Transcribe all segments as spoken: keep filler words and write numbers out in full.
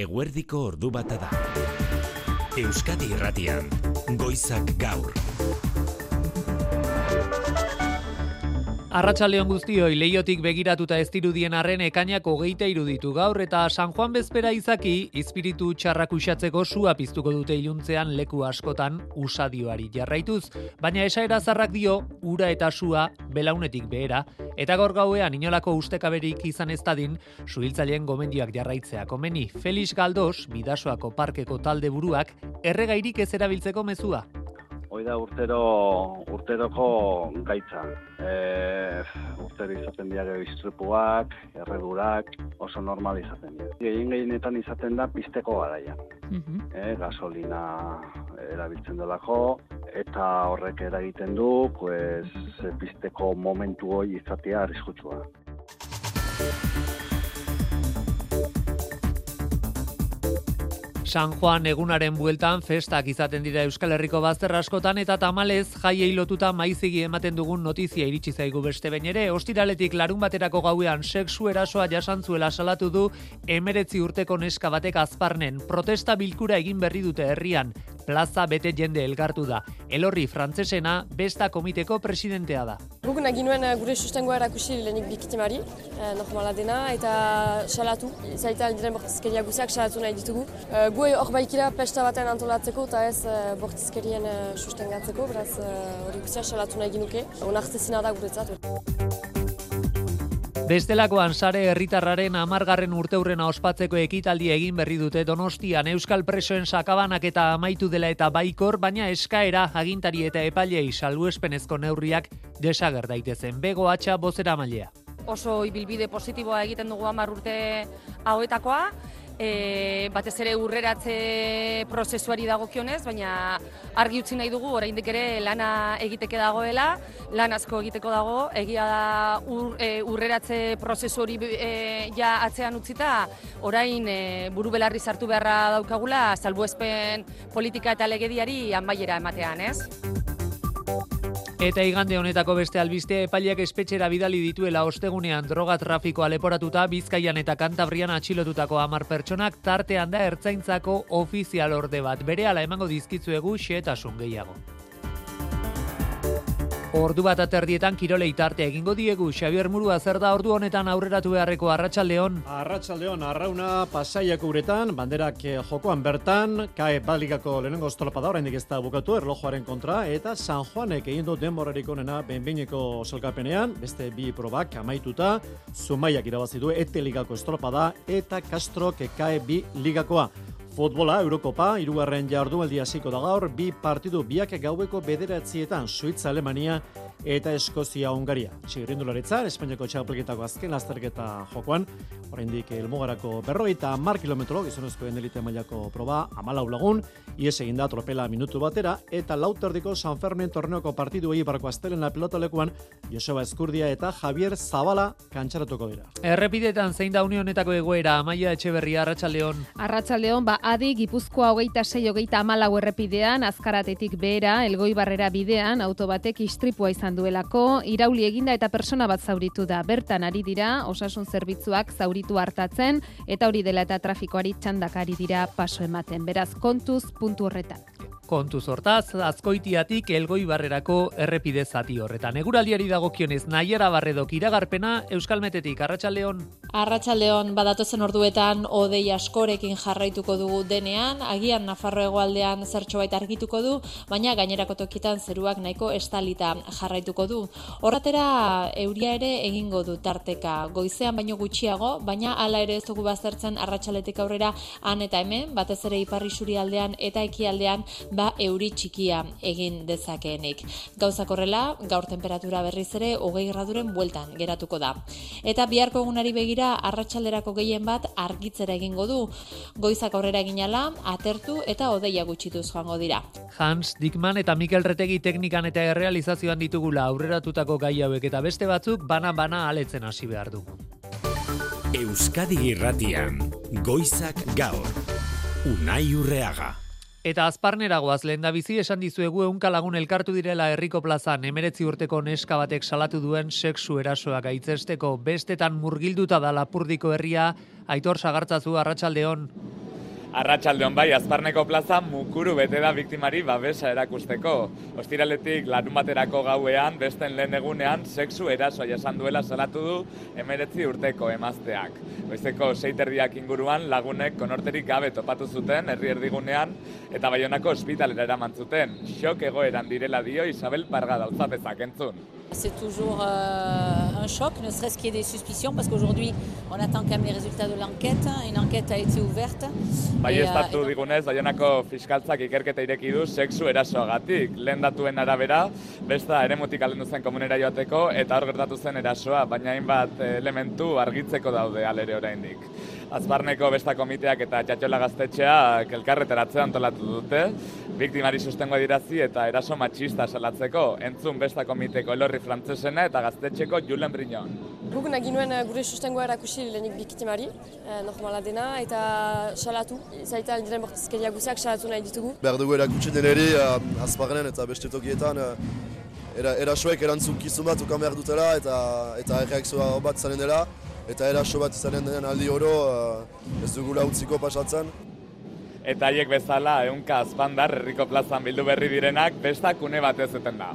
Eguerdiko ordu bata da. Euskadi Irratian, Goizak Gaur. Arratsaldeon guztioi, Leiotik begiratuta ez dirudien arren ekainak hogeita iruditu gaur eta San Juan bezpera izaki, izpiritu txarrak uxatzeko sua piztuko dute iluntzean leku askotan usadioari jarraituz, baina esaera zarrak dio, ura eta sua belaunetik behera, eta gaur gauean inolako ustekaberik izan ez dadin, suhiltzaileen gomendioak jarraitzea komeni. Felix Galdos, Bidasoako parkeko talde buruak, erregairik ez erabiltzeko mezua. Hoi da urtero, urteroko gaitza. E, urtero izaten dira gero istripuak, erredurak, oso normal izaten dira. Gehien gehienetan izaten da pizteko garaia. Uh-huh. E, gasolina erabiltzen delako, eta horrek eragiten du, pues, pizteko momentu hori izatea arriskutsua. San Juan egunaren bueltan festak izaten dira Euskal Herriko bazter askotan eta tamalez jaiei lotuta maizigi ematen dugun notizia iritsi zaigu beste behin ere. Ostiraletik larun baterako gauean sexu erasoa jasantzuela salatu du emeretzi urteko neska batek Azparnen. Protesta bilkura egin berri dute herrian. Plaza bete jende elkartu da. Elorri frantsesena besta komiteko presidentea da. Guk nahi nuen gure sustengoa erakusi lehenik biktimari, eh, normala dena, eta salatu. Zaita aldiren bortizkeria guziak salatu nahi ditugu. Eh, gu hor baikira pesta baten antolatzeko eta ez eh, bortizkerien eh, sustengatzeko, beraz hori eh, guziak salatu nahi ginuke. Onartezina da guretzat. Bestelakoan sare herritarraren hamargarren urteurrena ospatzeko ekitaldia egin berri dute Donostian euskal presoen sakabanak eta amaitu dela eta baikor, baina eskaera agintari eta epailei salbuespenezko neurriak desager daitezen. Bego Atxa bozeramailea. Oso ibilbide positiboa egiten dugu hamar urte hauetakoa, e, batez ere urreratze prozesuari dagokionez, baina argi utzi nahi dugu oraindik ere lana egiteke dagoela, lan asko egiteko dago, egia da ur, e, urreratze prozesu hori e, ja atzean utzita, orain e, buru belarri sartu beharra daukagula salbuespen politika eta legediari amaiera ematean, ez? Eta igande honetako beste albiste epaileak espetxera bidali dituela ostegunean droga trafikoa leporatuta Bizkaian eta Kantabrian atxilotutako hamar pertsonak tartean da ertzaintzako ofizial orde bat. Berehala emango dizkitzuegu xehetasun gehiago. Ordu bat aterdietan kirolei tarte egingo diegu. Xabier Murua, zer da ordu honetan aurreratu beharreko Arratsaldeon? Arratsaldeon, Arrauna Pasaiako uretan, banderak jokoan bertan, kae baligako lehenengo estolopada oraindik ez da bukatu erlojuaren kontra, eta San Juanek egin du denborarik onena behin-behineko sailkapenean, beste bi probak amaituta, Zumaiak irabazi du Ete ligako estolopada eta Castrok kae bi ligakoa. Futbola, Eurokopa, hirugarren jardunaldia hasiko da gaur, bi partidu biak gaueko bederatzietan, Suitza, Alemania eta Eskozia, Hungaria. Txirrindularitza, Espainiako txapelketako azken lasterketa jokoan, oraindik helmugarako berrogeita hamar kilometro, gizonezkoen elite mailako proba, hamalau lagun, ies egin da tropela minutu batera, eta lauterdiko San Fermin torneoko partidu eibarko astelena pelotalekuan, Joseba Eskurdia eta Javier Zabala kantxaratuko dira. Errepidetan zein da une honetako egoera, Amaia Etxeberria, Arratsaldeon. Arratsaldeon, ba, adi Gipuzkoa hogeita sei hogeita hamalau errepidean, Azkaratetik behera, Elgoibarrera bidean, auto batek istripua izan duelako, irauli eginda eta persona bat zauritu da. Bertan ari dira, osasun zerbitzuak zauritu hartatzen, eta hori dela eta trafikoari txandakari dira paso ematen. Beraz, kontuz puntu horretan. Kontuz hortaz, Azkoitiatik Elgoibarrerako errepide zati horretan. Eguraldiari dagokionez, Naiara Barredok iragarpena Euskalmetetik, Arratsaldeon. Arratsaldeon, badatozen orduetan hodei askorekin jarraituko dugu denean, agian Nafarro hegoaldean zertxobait argituko du, baina gainerako tokitan zeruak nahiko estalita jarraituko du. Horratera euria ere egingo du tarteka, goizean baino gutxiago, baina hala ere ez dugu baztertzen arratsaletik aurrera han eta hemen, batez ere ipar isurialdean eta ekialdean ba euri txikia egin dezakeenik. Gauzak horrela, gaur temperatura berriz ere hogei graduren bueltan geratuko da. Eta biharko egunari begira arratsalderako gehien bat argitzera egingo du. Goizak aurrera eginala, atertu eta hodeia gutxituz joango dira. Hans Dickman eta Mikel Retegi teknikan eta errealizazioan ditugula aurreratutako gai hauek eta beste batzuk bana-bana aletzen hasi behar dugu. Euskadi Irratian, Goizak Gaur, Unai Urreaga. Eta Azparneragoaz lehendabizi esan dizuegu ehunka lagun elkartu direla herriko plazan emeretzi urteko neska batek salatu duen sexu erasoa gaitzesteko. Bestetan murgilduta da Lapurdiko herria. Aitor Sagartzazu, Arratsaldeon. Arratsaldeon bai, Azparneko plaza mukuru bete da biktimari babesa erakusteko. Ostiraletik larun baterako gauean, besten lehen egunean, sexu erasoa jasan duela salatu du hemeretzi urteko emazteak. Goizeko sei terdiak inguruan lagunek konorterik gabe topatu zuten herri erdigunean eta Baionako ospitalera eraman zuten. Xok egoeran direla dio Isabel Parga Dauzapezak entzun. C'est toujours euh, un choc, ne serait-ce qu'il y ait des suspicions, parce qu'aujourd'hui, on attend quand même les résultats de l'enquête. Une enquête a été ouverte. Bai, estatu digunez, Baionako fiskaltzak ikerketa ireki du sexu erasoagatik. Lehen datuen arabera, besta eremutik alendu zen komunera joateko eta hor gertatu zen erasoa, baina hainbat elementu argitzeko daude alere oraindik. Azparneko besta komiteak eta Txatxola gaztetxeak elkarreteratzea antolatu dute, biktimari sustengoa dirazi eta eraso matxista salatzeko, entzun besta komiteko Elorri Frantzesena eta gaztetxeko Julen Briñon. Guk nahi nuen gure sustengoa erakusi lehenik biktimari, eh, normala dena, eta salatu. Zaita diren bortizkeria guziak salatu nahi ditugu. Behar dugu erakutsi deneri, uh, Azparnen eta beste tokietan, uh, era, erasoek erantzukizun bat ukan behar dutela eta, eta erreakzioa bat izanen dela. Eta eraso bat izanen den aldi oro uh, ez dugula utziko pasatzen. Eta haiek bezala, ehunka azpandar herriko plazan bildu berri direnak, bestakune batez eten da.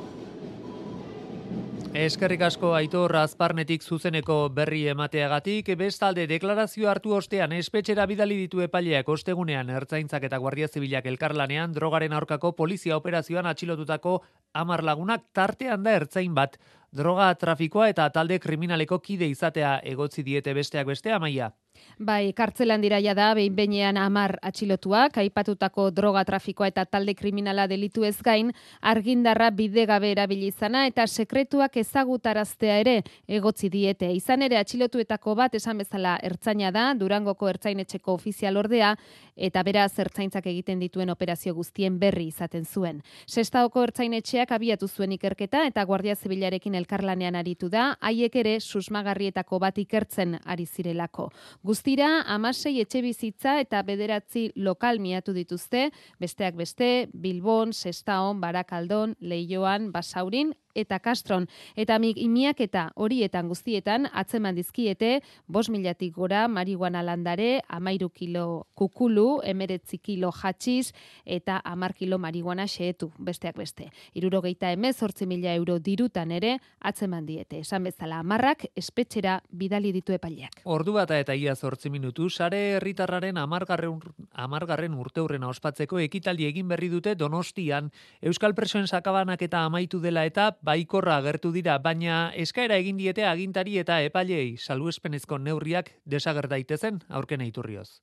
Eskerrik asko Aitor Azparnetik zuzeneko berri emateagatik, bestalde deklarazio hartu ostean espetxera bidali ditu epaileak ostegunean Ertzaintzak eta Guardia Zibilak elkarlanean drogaren aurkako polizia operazioan atxilotutako hamar lagunak tartean da ertzain bat. Droga trafikoa eta talde kriminaleko kide izatea egotzi diete besteak beste Amaia. Bai, kartzelan dira jada, behin behinean hamar atxilotuak, aipatutako droga trafikoa eta talde kriminala delitu ez gain, argindarra bidegabe erabili izana eta sekretuak ezagutaraztea ere egotzi diete. Izan ere atxilotuetako bat esan bezala ertzaina da, Durangoko ertzainetxeko ofizial ordea, eta beraz ertzaintzak egiten dituen operazio guztien berri izaten zuen. Sestaoko ertzainetxeak abiatu zuen ikerketa eta Guardia Zibilarekin elkarlanean aritu da, haiek ere susmagarrietako bat ikertzen ari zirelako. Guztira, hamasei etxe bizitza eta bederatzi lokal miatu dituzte, besteak beste, Bilbon, Sestaon, Barakaldon, Leioan, Basaurin eta Castron. Eta imiak eta horietan guztietan atzeman dizkiete, bost milatik gora marihuana landare, amairu kilo kukulu, emeretzi kilo hatxiz eta amar kilo marihuana xeetu, besteak beste. Hirurogeita hemezortzi mila euro dirutan ere atzeman diete. Esan bezala hamarrak espetxera bidali ditu epaileak. Ordu bata eta ia zortzi minutu, sare herritarraren hamargarren hamargarren urteurrena ospatzeko ekitaldi egin berri dute Donostian. Euskal presoen sakabanak eta amaitu dela eta baikorra agertu dira, baina eskaera egin diete agintari eta epaileei salbuespenezko neurriak desager daitezen aurkena iturrioz.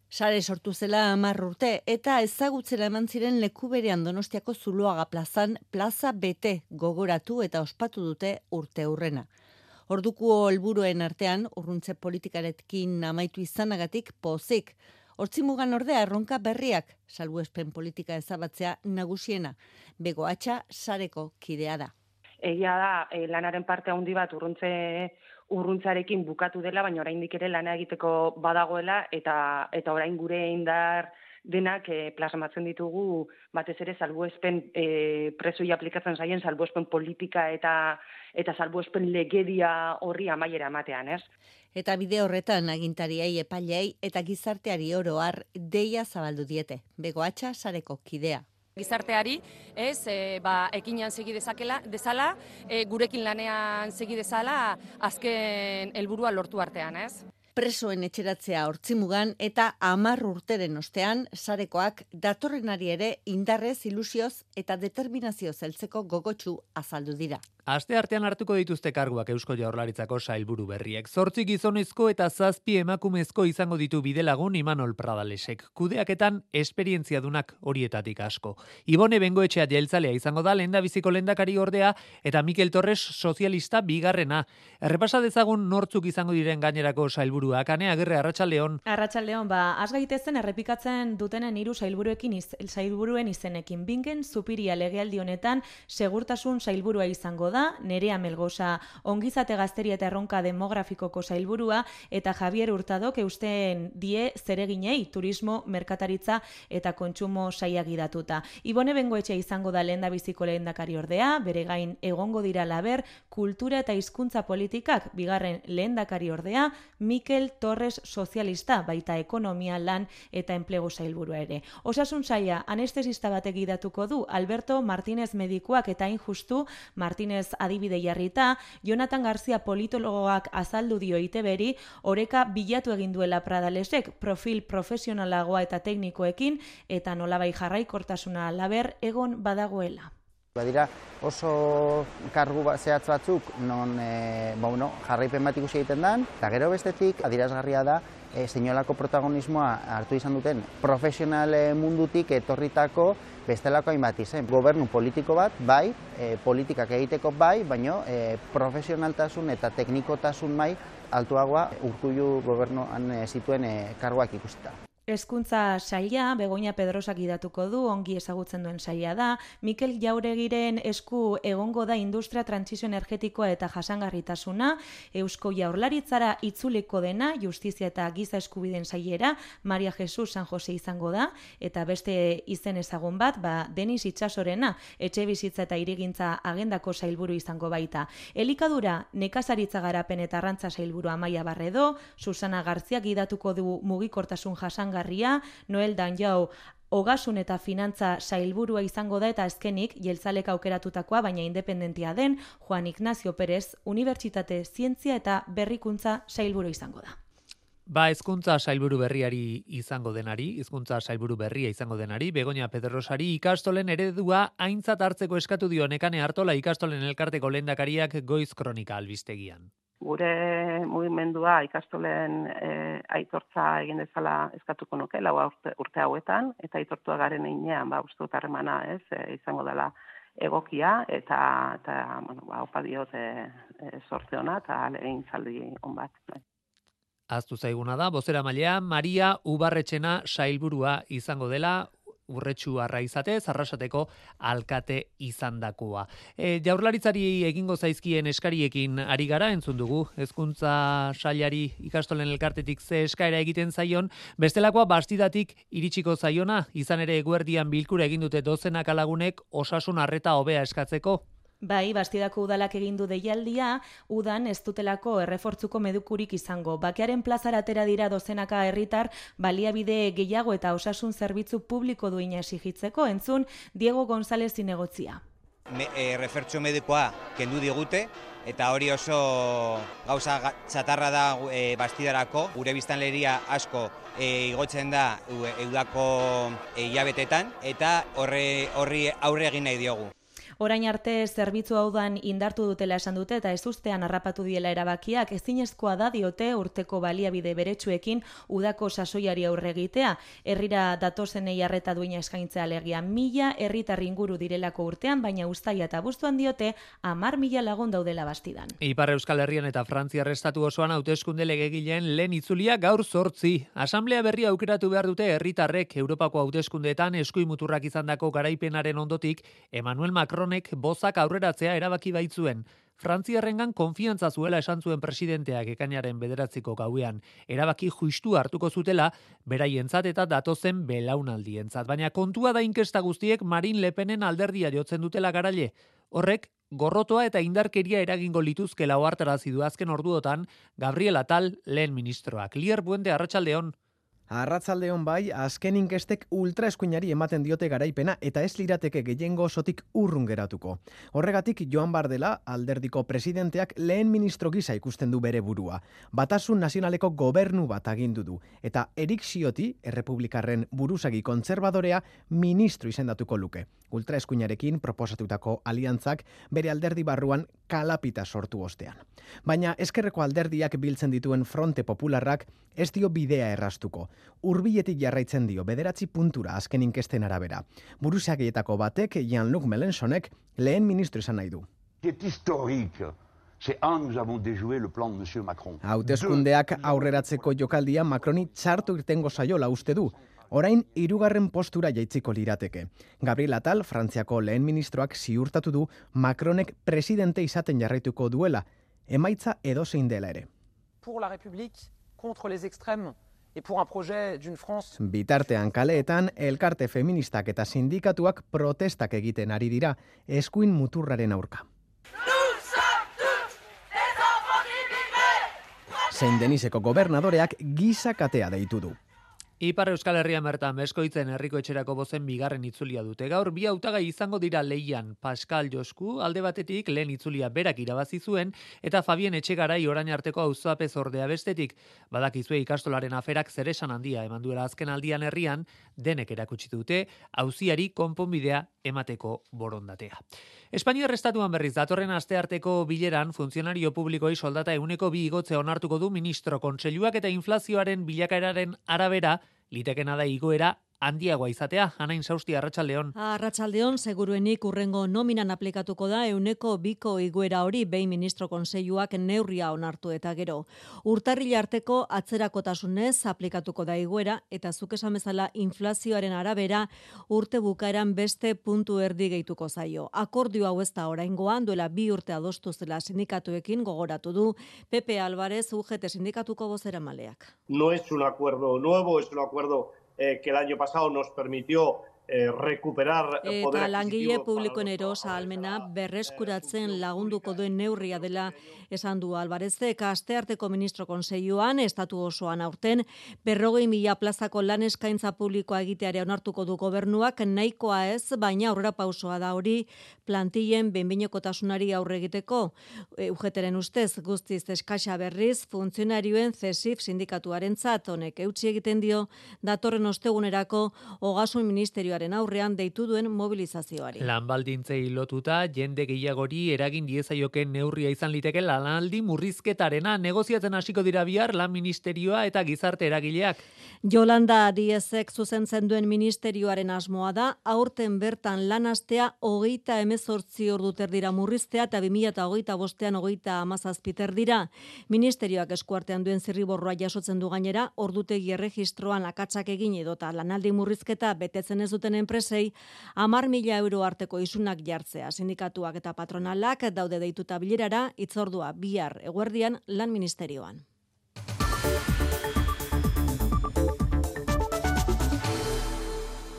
Sare sortu zela hamar urte eta ezagutzera eman ziren leku berean Donostiako Zuloaga plazan plaza bete gogoratu eta ospatu dute urteurrena. Orduko helburuen artean urruntze politikarekin amaitu izanagatik pozik. Hortzimugan ordea erronka berriak, salbuespen politika ezabatzea nagusiena. Bego Atxa sareko kidea da. Egia da, e, lanaren parte handi bat urruntze urruntzarekin bukatu dela, baina oraindik ere lana egiteko badagoela eta eta orain gure indar denak e, plasmatzen ditugu batez ere salbuespen e, presoi aplikatzen zaien salbuespen politika eta eta salbuespen legedia horri amaiera ematean, ez? Eta bide horretan agintariei, epaileei eta gizarteari oro har deia zabaldu diete. Bego Atxa sareko kidea. Gizarteari, ez, e, ba, ekinean segi dezakela, dezala, e, gurekin lanean segi dezala, azken helburua lortu artean, ez? Presoen etxeratzea hortzimugan eta hamar urteren ostean sarekoak datorrenari ere indarrez, ilusioz eta determinazioz heltzeko gogotsu azaldu dira. Aste artean hartuko dituzte karguak Eusko Jaurlaritzako sailburu berriek. Zortzi gizonezko eta zazpi emakumezko izango ditu bidelagun Imanol Pradalesek. Kudeaketan esperientziadunak horietatik asko. Ibone Bengoetxea jeltzalea izango da lehendabiziko lehendakari ordea eta Mikel Torres sozialista bigarrena. Errepasa dezagun nortzuk izango diren gainerako sailburuak. Ane Agirre, Arratsaldeon. Arratsaldeon, ba, has gaitezen errepikatzen dutenen hiru sailburuekin iz, sailburuen izenekin. Bingen Zupiria legealdi honetan segurtasun sailburua izango da. Nerea Melgosa ongizate gazteria eta erronka demografikoko sailburua eta Javier Hurtadok eusten die zereginei turismo, merkataritza eta kontsumo saila gidatuta. Ibone Bengoetxea izango da lehendabiziko lehendakari ordea, bere gain egongo dira laber kultura eta hizkuntza politikak, bigarren lehendakari ordea, Mikel Mikel Torres sozialista, baita ekonomia lan eta enplegu sailburua ere. Osasun saila anestesista batek gidatuko du Alberto Martínez medikuak eta hain justu Martínez adibide jarrita, Jonathan García politologoak azaldu dio I T Beri, oreka bilatu egin duela Pradalesek profil profesionalagoa eta teknikoekin eta nolabai jarraikortasuna laber egon badagoela. Badira oso kargu zehatz batzuk non e, ba, bueno, jarraipen bat ikusi egiten den, eta gero bestetik adierazgarria da e, zeinolako protagonismoa hartu izan duten profesional mundutik etorritako bestelako hainbat izen. Gobernu politiko bat, bai, e, politikak egiteko bai, baina e, profesionaltasun eta teknikotasun mai altuagoa Urkullu gobernuan e, zituen e, karguak ikusita. Hezkuntza saila, Begoña Pedrosak idatuko du, ongi ezagutzen duen saila da, Mikel Jauregiren esku egongo da industria trantsizio energetikoa eta jasangarritasuna, Eusko Jaurlaritzara itzuliko dena, justizia eta giza eskubideen sailera, Maria Jesus San Jose izango da, eta beste izen ezagun bat, ba, Denis Itxasorena, etxe bizitza eta hirigintza agendako sailburu izango baita. Elikadura, nekazaritza garapen eta arrantza sailburu Amaia Barredo, Susana Garziak idatuko du mugikortasun jasangarritasuna, Noel Danjau Ogasun eta finantza sailburua izango da eta azkenik jeltzalek aukeratutakoa baina independentia den Juan Ignacio Pérez Unibertsitate Zientzia eta Berrikuntza sailburu izango da. Ba, hezkuntza sailburu berriari izango denari, hezkuntza sailburu berria izango denari, Begoña Pedrosari ikastolen eredua aintzat hartzeko eskatu dio Nekane Artola ikastolen elkarteko lehendakariak Goiz Kronika albistegian. Gure mugimendua ikastolen e, aitortza egin dezala eskatuko nuke, lau urte, urte hauetan, eta aitortua garen einean, ba, uste dut harremana, ez, e, izango dela egokia, eta, eta bueno, ba, opa diot e, e, sorte hona, eta egin zaldi on bat. Aztu zaiguna da, bozeramailea Maria Ubarretxena sailburua izango dela, Urretxu Arraizate, Arrasateko alkate izandakoa. E, Jaurlaritzari egingo zaizkien eskariekin ari gara, entzun dugu, hezkuntza sailari ikastolen elkartetik ze eskaera egiten zaion, bestelakoa bastidatik iritsiko zaiona, izan ere eguerdian bilkura egin dute dozenak alagunek osasun arreta hobea eskatzeko. Bai, Bastidako udalak egin du deialdia, udan ez dutelako errefortzuko medukurik izango. Bakearen plazara atera dira dozenaka herritar baliabide gehiago eta osasun zerbitzu publiko duina exigitzeko, entzun Diego González zinegotzia. Me, e, refertzu medikoa kendu digute, eta hori oso gauza txatarra da e, Bastidarako, gure biztanleria asko e, igotzen da eudako hilabetetan, eta horri, horri aurre egin nahi diogu. Orain arte zerbitzu hau dan indartu dutela esan dute eta ez ustean harrapatu diela erabakiak, ezinezkoa da diote urteko baliabide beretsuekin udako sasoiari aurre egitea. Herrira datozenei arreta duina eskaintzea alegia mila herritar inguru direlako urtean, baina uztaila eta abuztuan diote hamar mila lagun daudela Bastidan. Ipar Euskal Herrian eta Frantziar estatu osoan hauteskunde legegileen lehen itzulia gaur zortzi. Asamblea berria aukeratu behar dute herritarrek Europako hauteskundeetan eskuimuturrak izandako garaipenaren ondotik Emmanuel Macron bozak aurreratzea erabaki baitzuen. Frantziarrengan konfiantza zuela esan zuen presidenteak ekainaren bederatziko gauean. Erabaki justu hartuko zutela, beraientzat eta datozen belaunaldientzat. Baina kontua da inkesta guztiek Marine Le Penen alderdia jotzen dutela garaile. Horrek, gorrotoa eta indarkeria eragingo lituzkela ohartarazi du azken orduotan Gabriel Attal lehen ministroak. Lier Buende, arratsaldeon. Arratzaldeon bai, azken inkestek ultraeskuinari ematen diote garaipena eta ez lirateke gehiengo osotik urrun geratuko. Horregatik Joan Bardela, alderdiko presidenteak lehen ministro gisa ikusten du bere burua. Batasun nazionaleko gobernu bat agindu du. Eta Erik Ciotti, errepublikarren buruzagi kontserbadorea, ministro izendatuko luke. Ultraeskuinarekin proposatutako aliantzak bere alderdi barruan kalapita sortu ostean. Baina eskerreko alderdiak biltzen dituen Fronte Popularrak ez dio bidea errastuko. Hurbiletik jarraitzen dio bederatzi puntura azken inkesten arabera. Buruzagietako batek, Jean-Luc Mélenchonek, lehen ministro izan nahi du. Hauteskundeak aurreratzeko jokaldia Macroni txartu irtengo saiola uste du. Orain hirugarren postura jaitziko lirateke. Gabriel Attal, Frantziako lehen ministroak ziurtatu du Macronek presidente izaten jarraituko duela, emaitza edozein dela ere. Pour la République, contre les extrêmes. Et pour un projet d'une France... Bitartean kaleetan, elkarte feministak eta sindikatuak protestak egiten ari dira, eskuin muturraren aurka. Zein Deniseko gobernadoreak gizakatea deitu du. Ipar Euskal Herrian bertan Beskoitzen herriko etxerako bozen bigarren itzulia dute. Gaur bi hautagai izango dira lehian. Pascal Josku alde batetik lehen itzulia berak irabazi zuen eta Fabien Etxegarai orain arteko auzapez ordea bestetik. Badakizue ikastolaren aferak zeresan handia eman duela azken aldian herrian, denek erakutsi dute auziari konponbidea emateko borondatea. Espainiar estatuan berriz datorren astearteko bileran funtzionario publikoi soldata ehuneko bi igotze onartuko du ministro kontseiluak eta inflazioaren bilakaeraren arabera litekena da igoera handiagoa izatea. Anain Sausti, Arratsaldeon. Arratsaldeon, seguruenik urrengo nominan aplikatuko da ehuneko biko igoera hori behin ministro kontseiluak neurria onartu eta gero. Urtarrila arteko atzerakotasunez aplikatuko da igoera eta zuk esan bezala inflazioaren arabera urte bukaeran beste puntu erdi gehituko zaio. Akordio hau ez da oraingoan duela bi urte adostu zela sindikatuekin gogoratu du Pepe Álvarez U G T sindikatuko bozeramaleak. No es un acuerdo nuevo, es un acuerdo Eh, que el año pasado nos permitió eh, recuperar eh, poder eta langile publikoen erosa almena berreskuratzen lagunduko duen neurria dela esan du Alvarezek. Astearteko ministro kontseiluan estatu osoan aurten berrogei mila plazako lan eskaintza publikoa egiteare onartuko du gobernuak, nahikoa ez, baina aurrera pausoa da hori plantillen behinbehinekotasunari aurre egiteko. E, U G Tren ustez guztiz eskasa berriz funtzionarioen C E S I F sindikatuarentzat honek eutsi egiten dio datorren ostegunerako Ogasun Ministerioaren aurrean deitu duen mobilizazioari. Lanbaldintzei lotuta jende gehiagori eragin diezaioken neurria izan liteke lanaldi murrizketarena. Negoziatzen hasiko dira bihar lan ministerioa eta gizarte eragileak. Yolanda Díezek zuzentzen duen ministerioaren asmoa da aurten bertan lan astea hogeita hemezortzi ordu terdira murriztea eta bi mila hogeita bostean hogeita hamazazpi terdira. Ministerioak eskuartean duen zirriborroa jasotzen du gainera ordutegi erregistroan akatsak egin edota lanaldi murrizketa betetzen ez duten enpresei hamar mila euro arteko isunak jartzea. Sindikatuak eta patronalak daude deituta bilerara hitzordua bihar eguerdian lan ministerioan.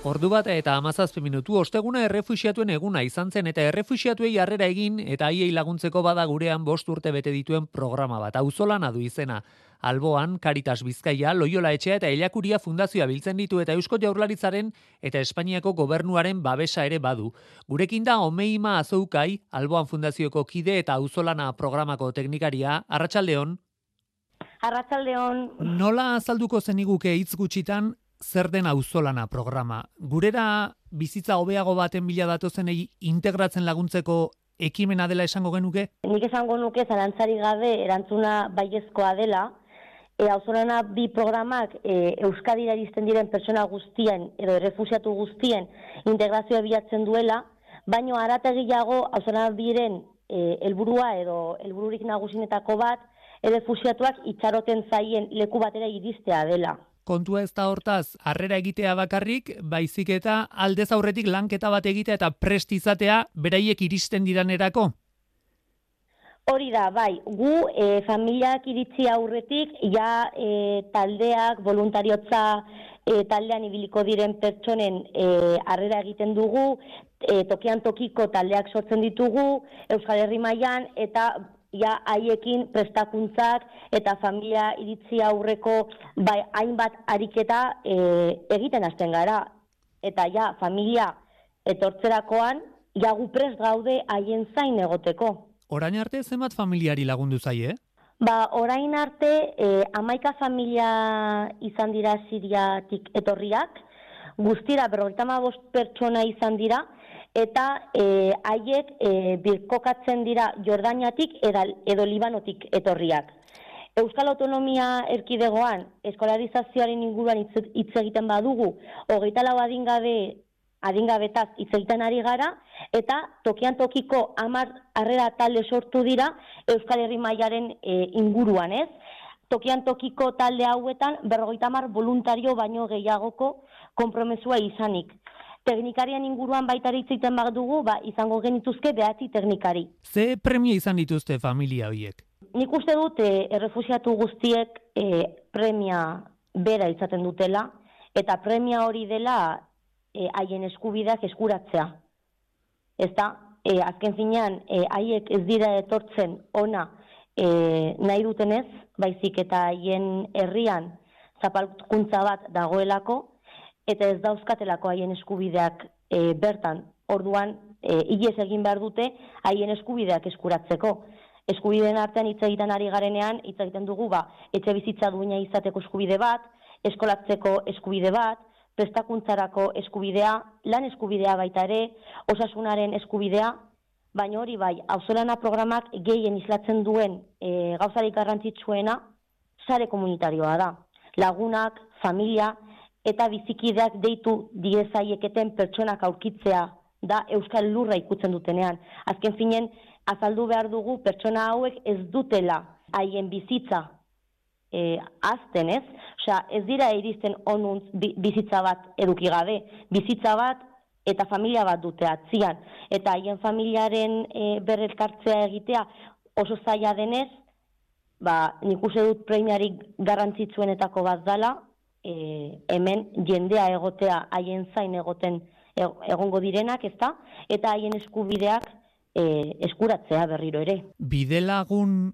Ordu bat eta hamazazpi minutu osteguna errefuxiatuen eguna izan zen eta errefuxiatuei harrera egin eta haiei laguntzeko bada gurean bost urte bete dituen programa bat. Auzolana du izena. Alboan, Caritas Bizkaia, Loiola Etxea eta Elakuria Fundazioa biltzen ditu eta Eusko Jaurlaritzaren eta Espainiako gobernuaren babesa ere badu. Gurekin da Omeima Azoukai, Alboan Fundazioko kide eta Auzolana programako teknikaria. Arratsaldeon. Arratsaldeon. Nola azalduko zeniguke hitz gutxitan zer den Auzolana programa? Gurera bizitza hobeago baten bila datozenei integratzen laguntzeko ekimena dela esango genuke? Nik esango nuke zalantzari gabe erantzuna baiezkoa dela. E, Auzolana bi programak e, Euskadira iristen diren pertsona guztien edo errefuxiatu guztien integrazioa bilatzen duela, baino arategiago Auzolana biren e, helburua edo helbururik nagusinetako bat errefuxiatuak itxaroten zaien leku batera iristea dela. Kontua ez da hortaz, harrera egitea bakarrik, baizik eta aldez aurretik lanketa bat egitea eta prest izatea beraiek iristen diranerako? Hori da, bai, gu e, familiak iritsi aurretik, ja e, taldeak, voluntariotza e, taldean ibiliko diren pertsonen e, harrera egiten dugu, e, tokian tokiko taldeak sortzen ditugu, Euskal Herri mailan eta ja haiekin prestakuntzak eta familia iritzi aurreko bai hainbat ariketa e, egiten hasten gara. Eta ja familia etortzerakoan ja gu prest gaude haien zain egoteko. Orain arte zenbat familiari lagundu zaie? Ba, orain arte e, hamaika familia izan dira Siriatik etorriak, guztira berrogeita hamabost pertsona izan dira, eta e, haiek e, birkokatzen dira Jordaniatik edo, edo Libanotik etorriak. Euskal Autonomia Erkidegoan eskolarizazioaren inguruan hitz egiten badugu, hogeita lau adingabe adingabetaz hitz egiten ari gara, eta tokian tokiko hamar harrera talde sortu dira Euskal Herri mailaren e, inguruan, ez? Tokian tokiko talde hauetan berrogeita hamar voluntario baino gehiagoko konpromesua izanik. Teknikarian inguruan baita hitz egiten badugu, ba, izango genituzke behatzi teknikari. Ze premia izan dituzte familia horiek? Nik uste dut e, errefuxiatu guztiek e, premia bera izaten dutela, eta premia hori dela haien e, eskubideak eskuratzea. Ez da, e, azken finean, haiek e, ez dira etortzen ona e, nahi dutenez, baizik eta haien herrian zapalkuntza bat dagoelako, eta ez dauzkatelako haien eskubideak e, bertan. Orduan, e, hilez egin behar dute haien eskubideak eskuratzeko. Eskubideen artean hitz egiten ari garenean, hitz egiten dugu, ba, etxe bizitza duina izateko eskubide bat, eskolatzeko eskubide bat, prestakuntzarako eskubidea, lan eskubidea baita ere, osasunaren eskubidea, baina hori bai, auzolana programak gehien islatzen duen e, gauzarik garrantzitsuena sare komunitarioa da. Lagunak, familia eta bizikideak deitu diezaieketen pertsonak aurkitzea da euskal lurra ikutzen dutenean. Azken finen, azaldu behar dugu pertsona hauek ez dutela haien bizitza e, azten, ez? Osea, ez dira iristen onuntz bizitza bat eduki gabe, bizitza bat eta familia bat dute atzian. Eta haien familiaren e, berrelkartzea egitea oso zaila denez, ba, nik uste dut premiarik garrantzitsuenetako bat dala, e, hemen jendea egotea, haien zain egoten egongo direnak, ezta? Eta haien eskubideak e, eskuratzea berriro ere. Bidelagun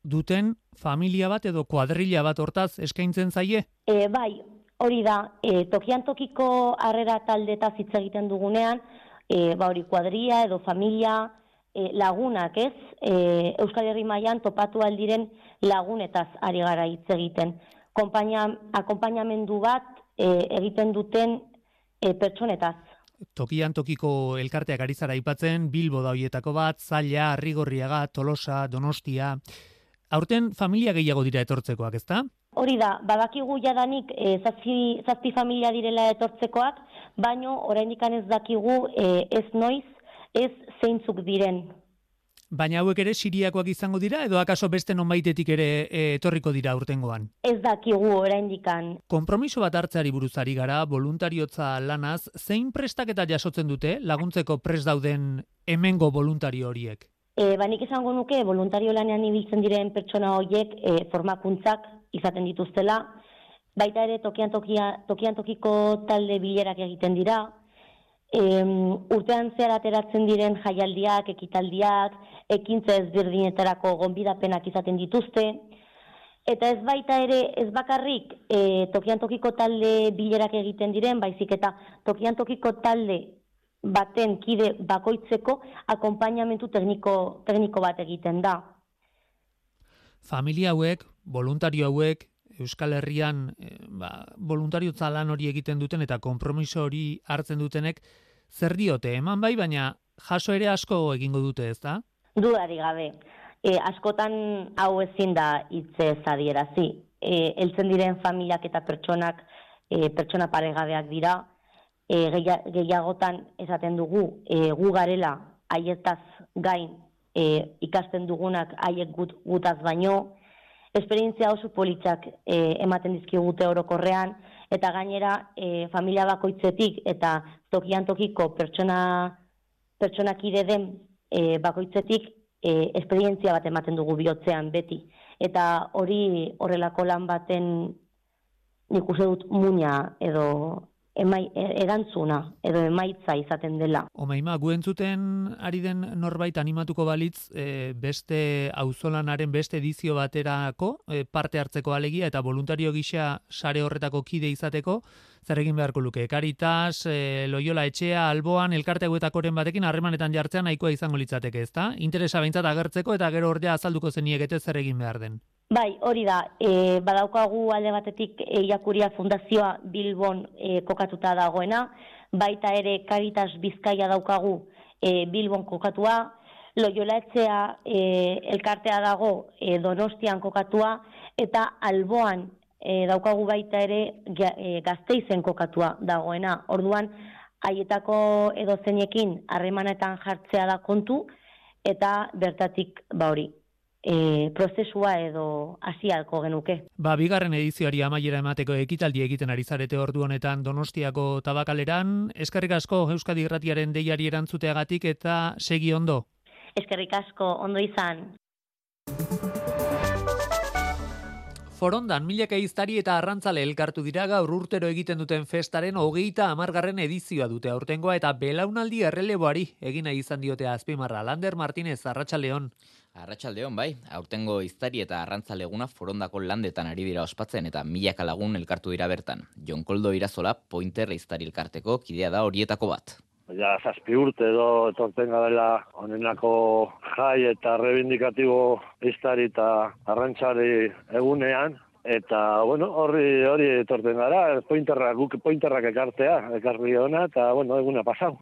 duten familia bat edo kuadrilla bat hortaz eskaintzen zaie? E, bai, hori da, e, tokian tokiko harrera taldetaz hitz egiten dugunean, e, ba hori kuadrilla edo familia e, lagunak, ez? E, Euskal Herri mailan topatu aldiren lagunetaz ari gara hitz egiten. Kompainia, akompainamendu bat e, egiten duten e, pertsonetaz. Tokian tokiko elkarteak ari zara aipatzen, Bilbo da hoietako bat, Zaila, Arrigorriaga, Tolosa, Donostia. Aurten familia gehiago dira etortzekoak, ezta? Hori da, badakigu jadanik e, zazpi, zazpi familia direla etortzekoak, baino oraindik ez dakigu e, ez noiz, ez zeintzuk diren. Baina hauek ere siriakoak izango dira, edo akaso beste nonbaitetik ere e, etorriko dira urtengoan? Ez dakigu oraindikan. Konpromiso bat hartzeari buruzari gara, voluntariotza lanaz, zein prestaketa jasotzen dute laguntzeko prest dauden hemengo voluntario horiek? E, banik esango nuke, voluntario lanean ibiltzen diren pertsona horiek e, formakuntzak izaten dituztela, baita ere tokian, tokia, tokian tokiko talde bilerak egiten dira, e, urtean zehar ateratzen diren jaialdiak, ekitaldiak, ekintza ezberdinetarako gonbidapenak izaten dituzte, eta ez baita ere, ez bakarrik e, tokian tokiko talde bilerak egiten diren, baizik eta tokian tokiko talde baten kide bakoitzeko akonpainamentu tekniko, tekniko bat egiten da. Familia hauek, voluntario hauek, Euskal Herrian eh, ba, voluntariotza lan hori egiten duten eta konpromiso hori hartzen dutenek, zer diote eman bai, baina jaso ere asko egingo dute, ez da? Dudari gabe. E, askotan hau ezin da hitze adierazi. E, heltzen diren familiak eta pertsonak e, pertsona paregabeak dira, e, gehiagotan esaten dugu e, gu garela haietaz gain e, ikasten dugunak haiek gut, gutaz baino, esperientzia oso politzak e, ematen dizkigute orokorrean, eta gainera e, familia bakoitzetik eta tokian tokiko pertsona pertsonakide den e, bakoitzetik e, esperientzia bat ematen dugu bihotzean beti. Eta hori horrelako lan baten nik uste dut muina edo emai, erantzuna edo emaitza izaten dela. Omaima, gu entzuten ari den norbait animatuko balitz e, beste auzolanaren beste edizio baterako e, parte hartzeko alegia eta voluntario gisa sare horretako kide izateko, zer egin beharko luke? Caritas, e, Loyola Etxea, Alboan, elkarte hauetakoren batekin harremanetan jartzean nahikoa izango litzateke, ezta? Interesa behintzat agertzeko eta gero ordea azalduko zeniekete zer egin behar den. Bai, hori da, e, badaukagu alde batetik e, Iakuria Fundazioa Bilbon e, kokatuta dagoena, baita ere Caritas Bizkaia daukagu e, Bilbon kokatua, Loyola Etxea e, elkartea dago e, Donostian kokatua, eta Alboan e, daukagu baita ere e, Gasteizen kokatua dagoena. Orduan, haietako edo zeinekin harremanetan jartzea da kontu, eta bertatik ba hori. E, prozesua edo hasialko genuke. Ba, bigarren edizioari amaiera emateko ekitaldi egiten ari zarete ordu honetan Donostiako tabakaleran. Eskerrik asko Euskadi Irratiaren deiari erantzuteagatik eta segi ondo. Eskerrik asko, ondo izan. Forondan milaka ehiztari eta arrantzale elkartu dira gaur urtero egiten duten festaren hogeita hamargarren edizioa dute aurtengoa eta belaunaldi erreleboari egin nahi izan diote azpimarra. Lander Martínez, arratsaldeon. Arratsaldeon bai, aurtengo iztari eta arrantzaleguna Forondako landetan ari dira ospatzen eta milaka lagun elkartu dira bertan. Jon Koldo Irazola Pointer iztari elkarteko kidea da horietako bat. Ja, zazpi urte edo etorten gadela honenako jai eta rebindikatibo iztari eta arrantzari egunean. Eta, bueno, horri hori etorten gara, pointerrak, guk pointerrak ekartea, ekarri hona, eta, bueno, eguna pasau.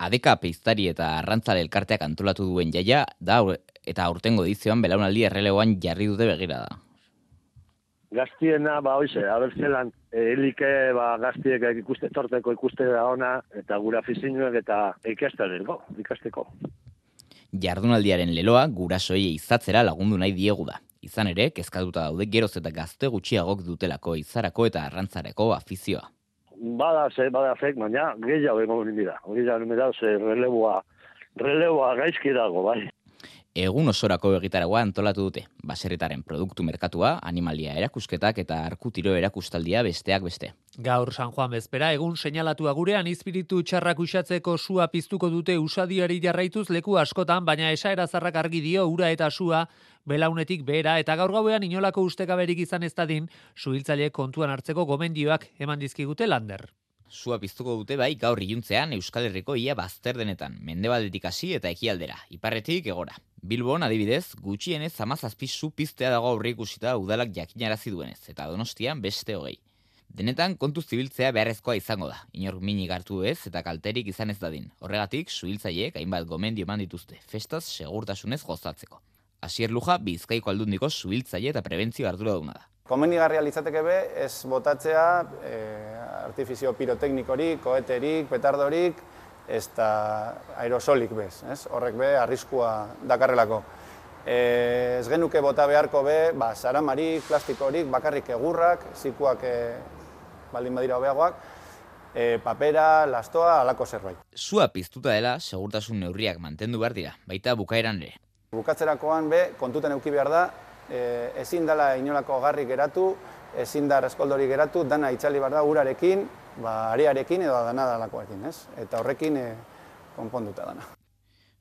Adeka peiztari eta arrantzale elkarteak antolatu duen jaia, da eta aurtengo edizioan belaunaldi errelegoan jarri dute begirada. Gaztiena, ba, hoize, abertzelan, elike, ba, gaztiek ikuste torteko ikuste da ona, eta gura afizinuek eta ikasteneko, ikasteko. Jardunaldiaren leloa gurasoei izatzera lagundu nahi diegu da. Izan ere, kezkatuta daude geroz eta gazte gutxiagok dutelako izarako eta arrantzareko afizioa. Bada, ze, bada fek, baina gehiago egon dira. Gehiago egon dira, ze releboa, releboa gaizki dago, bai. Egun osorako egitaragoa antolatu dute. Baserritaren produktu merkatua, animalia erakusketak eta arkutiro erakustaldia besteak beste. Gaur San Juan bezpera, egun seinalatua gurean izpiritu txarrak uxatzeko sua piztuko dute usadiari jarraituz leku askotan, baina esaera zarrak argi dio ura eta sua belaunetik behera eta gaur gauean inolako ustekaberik izan ez dadin, suhiltzaile kontuan hartzeko gomendioak eman dizkigute Lander. Sua piztuko dute bai gaur iluntzean Euskal Herriko ia bazter denetan, mendebaldetik hasi eta ekialdera, iparretik egora. Bilbon adibidez, gutxienez hamazazpi su piztea dago aurreikusita udalak jakinarazi duenez, eta Donostian beste hogei. Denetan kontuz zibiltzea beharrezkoa izango da, inork minik hartu ez eta kalterik izan ez dadin. Horregatik, suhiltzaileek hainbat gomendio eman dituzte, festaz segurtasunez gozatzeko. Asier Luja, Bizkaiko Aldundiko suhiltzaile eta prebentzio arduraduna da. Komenigarria litzateke be, ez botatzea e, artifizio piroteknikorik, koeterik, petardorik, ez da aerosolik bez, ez? Horrek be, arriskua dakarrelako. E, ez genuke bota beharko be, ba, saramarik, plastikorik, bakarrik egurrak, zikuak e, baldin badira hobeagoak, e, papera, lastoa, alako zerbait. Sua piztuta dela, segurtasun neurriak mantendu behar dira, baita bukaeran ere. Bukatzerakoan be, kontutan eduki behar da, E, ezin dela inolako garrik geratu, ezin da reskoldorik geratu, dana itzali behar da urarekin, ba, arearekin edo dana dalakoekin, ez? Eta horrekin e, konponduta dana.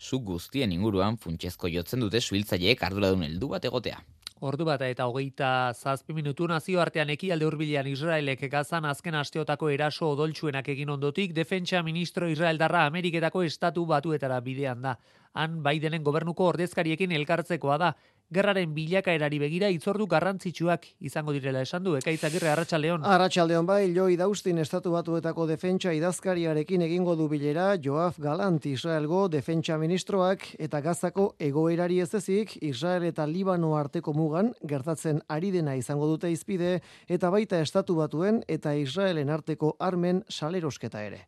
Zu guztien inguruan funtsezko jotzen dute suhiltzaileek arduradun heldu bat egotea. Ordu bat eta hogeita zazpi minutu nazioartean ekialde hurbilean Israelek Gazan azken asteotako eraso odoltsuenak egin ondotik, defentsa ministro Israeldarra Ameriketako estatu batuetara bidean da. Han Bidenen gobernuko ordezkariekin elkartzekoa da. Gerraren bilakaerari begira hitzordu garrantzitsuak izango direla esan du. Ekaitz Agirre, Arratsaldeon. Arratsaldeon bai, Joi Daustin estatu batuetako defentsa idazkariarekin egingo du bilera Joaf Galant Israelgo defentsa ministroak eta Gazako egoerari ez ezik Israel eta Libano arteko mugan gertatzen ari dena izango dute hizpide eta baita estatu batuen eta Israelen arteko armen salerosketa ere.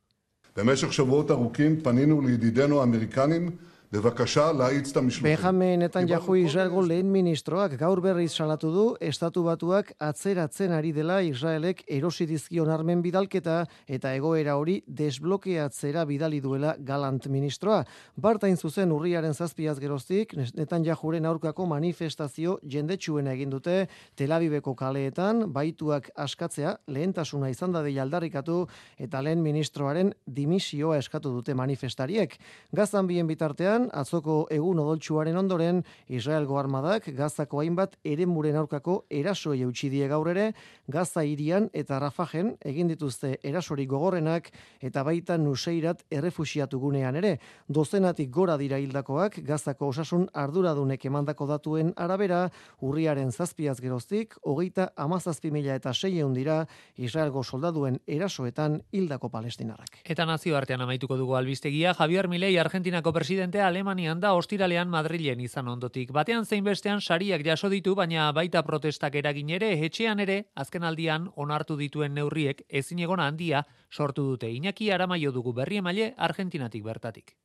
במשך שבועות ארוכים פנינו לידידינו האמריקנים בבקשה להאיץ את המשלוחים. Benjamin Netanyahu Israelgo lehen ministroak gaur berriz salatu du estatu batuak atzeratzen ari dela Israelek erosi dizkion armen bidalketa eta egoera hori desblokeatzera bidali duela Galant ministroa. Bartain zuzen urriaren zazpiaz geroztik Netanyahuren aurkako manifestazio jendetsuena egin dute Tel Aviveko kaleetan, baituak askatzea lehentasuna izan da deia aldarrikatu eta lehen ministroaren dimisioa eskatu dute manifestariek. Gazan bien bitartean atzoko egun odoltsuaren ondoren, Israelgo armadak Gazako hainbat eremuren aurkako erasoei eutsi die gaur ere, Gaza hirian eta Rafahen egin dituzte erasori gogorrenak eta baita Nuseirat errefuxiatu gunean ere. Dozenatik gora dira hildakoak Gazako osasun arduradunek emandako datuen arabera, urriaren zazpiaz geroztik, hogeita hamazazpi mila eta seiehun dira Israelgo soldaduen erasoetan hildako palestinarrak. Eta nazioartean amaituko dugu albistegia, Javier Milei Argentinako presidentea Alemanian da ostiralean Madrilen izan ondotik. Batean zein bestean sariak jaso ditu, baina baita protestak eragin ere, etxean ere, azkenaldian onartu dituen neurriek ezinegona handia sortu dute. Iñaki Aramaio dugu berri emaile Argentinatik bertatik.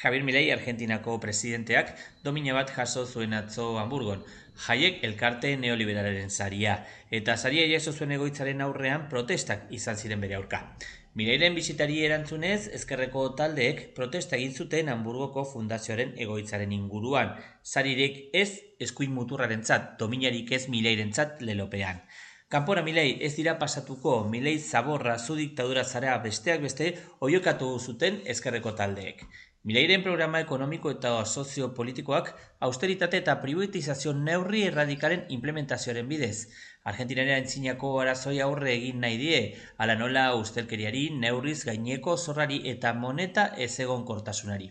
Javier Milei Argentinako presidenteak domina bat jaso zuen atzo Hamburgon. Jaiek elkarte neoliberalaren saria, eta saria jaso zuen egoitzaren aurrean protestak izan ziren bere aurka. Mileiren bisitari erantzunez, ezkerreko taldeek protesta egin zuten Hamburgoko fundazioaren egoitzaren inguruan. Saririk ez eskuin muturrarentzat, dominarik ez Mileirentzat lelopean. Kanpora Milei ez dira pasatuko, Milei zaborra zu diktadura zara besteak beste oiokatu zuten ezkerreko taldeek. Mileiren programa ekonomiko eta soziopolitikoak austeritate eta privatizazio neurri erradikalen implementazioaren bidez. Argentinaren aintzinako arazoi aurre egin nahi die, ala nola ustelkeriari, neurriz gaineko zorrari eta moneta ezegonkortasunari.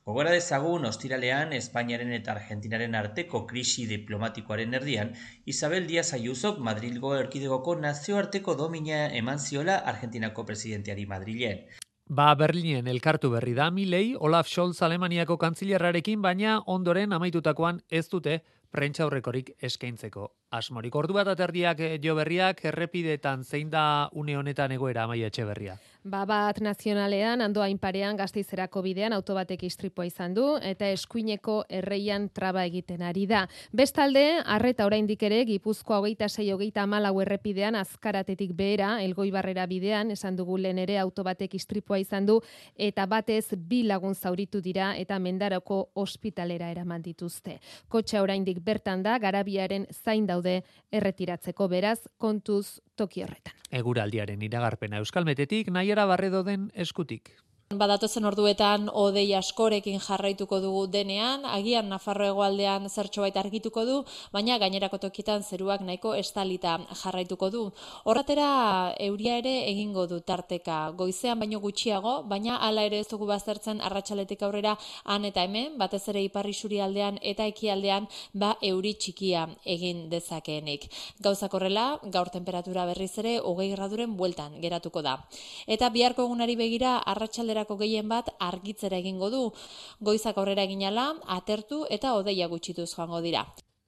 Gogora dezagun, ostiralean, Espainiaren eta Argentinaren arteko krisi diplomatikoaren erdian, Isabel Díaz Ayusok Madrilgo erkidegoko nazioarteko domina eman ziola Argentinako presidenteari Madrilen. Ba, Berlinen elkartu berri da Milei, Olaf Scholz Alemaniako kantzilerrarekin, baina ondoren amaitutakoan ez dute prentsaurrekorik eskaintzeko asmorik. Ordu bat aterdiak jo berriak, errepidetan zein da une honetan egoera, Amaia Etxeberria. Ba, bat nazionalean, Andoain parean Gasteizerako bidean autobatek istripua izan du eta eskuineko erreian traba egiten ari da. Bestalde, arreta oraindik ere Gipuzkoa hogeita sei hogeita hamalau errepidean azkaratetik behera, Elgoibarrera bidean, esan dugu lehen ere autobatek istripua izan du eta batez bi lagun zauritu dira eta Mendaroko ospitalera eraman dituzte. Kotxa oraindik bertan da, Garabiaren zain daude erretiratzeko, beraz, kontuz toki horretan. Eguraldiaren iragarpena Euskalmetetik, Naiara Barredoden eskutik. Badatozen orduetan hodei askorekin jarraituko dugu denean, agian Nafarro hegoaldean zertxobait argituko du, baina gainerako tokitan zeruak nahiko estalita jarraituko du. Horratera euria ere egingo du tarteka, goizean baino gutxiago, baina hala ere ez dugu baztertzen arratsaletik aurrera han eta hemen, batez ere ipar isurialdean eta ekialdean ba euri txikia egin dezakeenik. Gauzak horrela, gaur temperatura berriz ere hogei graduren bueltan geratuko da. Eta biharko egunari begira arratsaldera gehien bat argitzera egingo du. Goizak aurrera eginala, atertu eta hodeia gutxituz joango dira.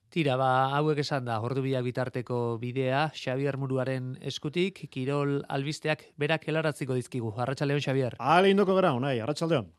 Tira, ba, hauek esan da, ordubiak bitarteko bidea, Xabier Muruaren eskutik, Kirol albisteak berak helaratziko dizkigu. Arratsaldeon, Xabier. Ale indoko gara, unai, arratsaldeon.